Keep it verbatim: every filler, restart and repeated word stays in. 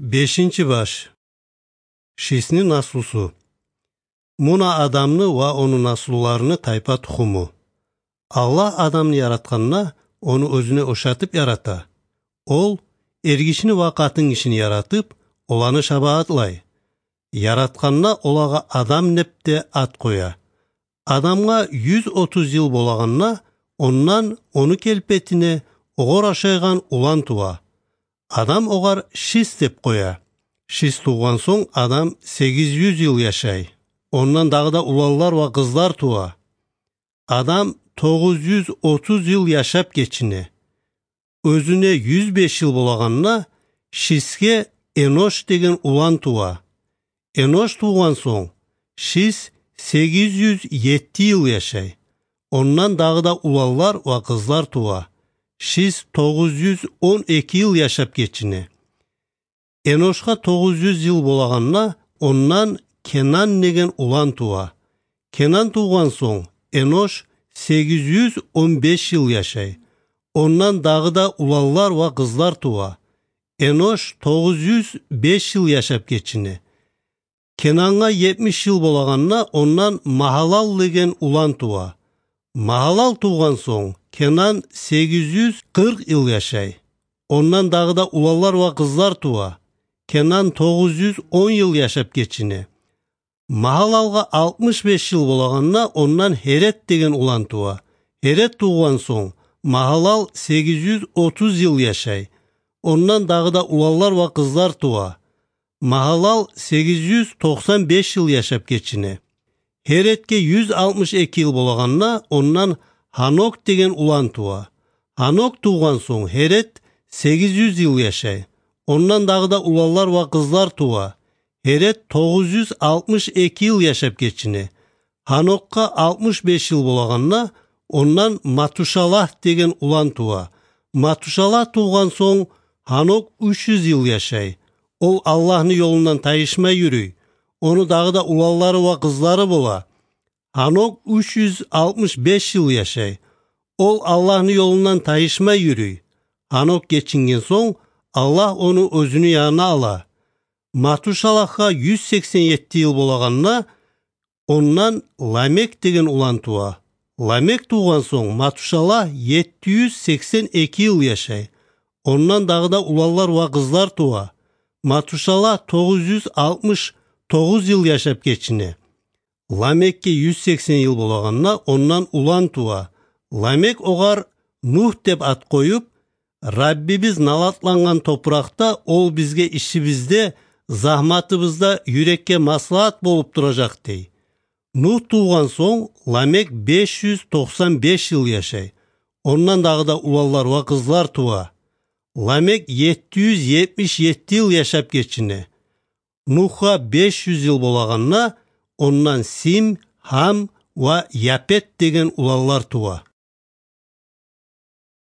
Бешинчи баш. Шисни наслусу. Муна Адамны ва ону наслуларыны тайпа-тухуму. Аллагь Адамны яратгъанда, ону оьзюне ошатып ярата. Ол эргишини ва къатынгишини яратып, оланы шабагьатлай. Яратгъанда олагъа Адам деп де ат къоя. Адамгъа юз отуз йыл болагъанда, ондан ону келпетине огъар ошайгъан улан тува. Адам огъар Шис деп къоя. Шис тувгъан сонг, Адам сегиз юз йыл яшай. Ондан дагъы да уланлар ва къызлар тува. Адам тогъуз юз отуз йыл яшап гечине. Оьзюне юз беш йыл болагъанда, Шисге Энош деген улан тува. Энош тувгъан сонг, Шис сегиз юз етти йыл яшай. Ондан дагъы да уланлар ва къызлар тува. Шис тогъуз юз он эки йыл яшап гечине. Эношгъа тогъуз юз йыл болагъанда, ондан Кенан деген улан тува. Кенан тувгъан сонг, Энош сегиз юз он беш йыл яшай. Ондан дагъы да уланлар ва къызлар тува. Энош тогъуз юз беш йыл яшап гечине. Кенангъа етмиш йыл болагъанда, ондан Магьалал деген улан тува. Магьалал тувгъан сонг, Кенан сегиз юз къыркъ йыл яшай. Ондан дагъы да уланлар ва къызлар тува. Кенан тогъуз юз он йыл яшап гечине. Магьалалгъа алтмыш беш йыл болагъанда, ондан Гьерет деген улан тува. Гьерет тувгъан сонг, Магьалал сегиз юз отуз йыл яшай. Ондан дагъы да уланлар ва къызлар тува. Магьалал сегиз юз токъсан беш йыл яшап гечине. Гьеретге юз алтмыш эки йыл болагъанда, ондан Гьанок деген улан тува. Гьанок тувгъан сонг, Гьерет сегиз юз йыл яшай. Ондан дагъы да уланлар ва къызлар тува. Гьерет тогъуз юз алтмыш эки йыл яшап гечине. Гьанокгъа алтмыш беш йыл болагъанда, ондан Матушалагь деген улан тува. Матушалагь тувгъан сонг, Гьанок уьч юз йыл яшай. Ол Аллагьны ёлундан тайышмай юрюй. Ону дагъы да уланлары ва къызлары бола. Гьанок уьч юз алтмыш беш йыл яшай. Ол Аллагьны ёлундан тайышмай юрюй. Гьанок гечинген сонг, Аллагь ону оьзюню янына ала. Матушалагьгъа юз сексен етти йыл болагъанда, ондан Ламек деген улан тува. Ламек тувгъан сонг, Матушалагь етти юз сексен эки йыл яшай. Ондан дагъы да уланлар ва къызлар тува. Матушалагь тогъуз юз алтмыш тогъуз йыл яшап гечине. Ламекге юз сексен йыл болагъанда, ондан улан тува. Ламек огъар Нугь деп ат къоюп, Раббибиз налатлангъан топуракъда Ол бизге ишибизде, загьматыбызда юрекге маслагьат болуп туражакъ, дей. Нугь тувгъан сонг, Ламек беш юз токъсан беш йыл яшай. Ондан дагъы да уланлар ва къызлар тува. Ламек етти юз етмиш етти йыл яшап гечине. Нугьгъа беш юз йыл болагъанда, ондан Сим, Гьам ва Япет деген уланлар тува.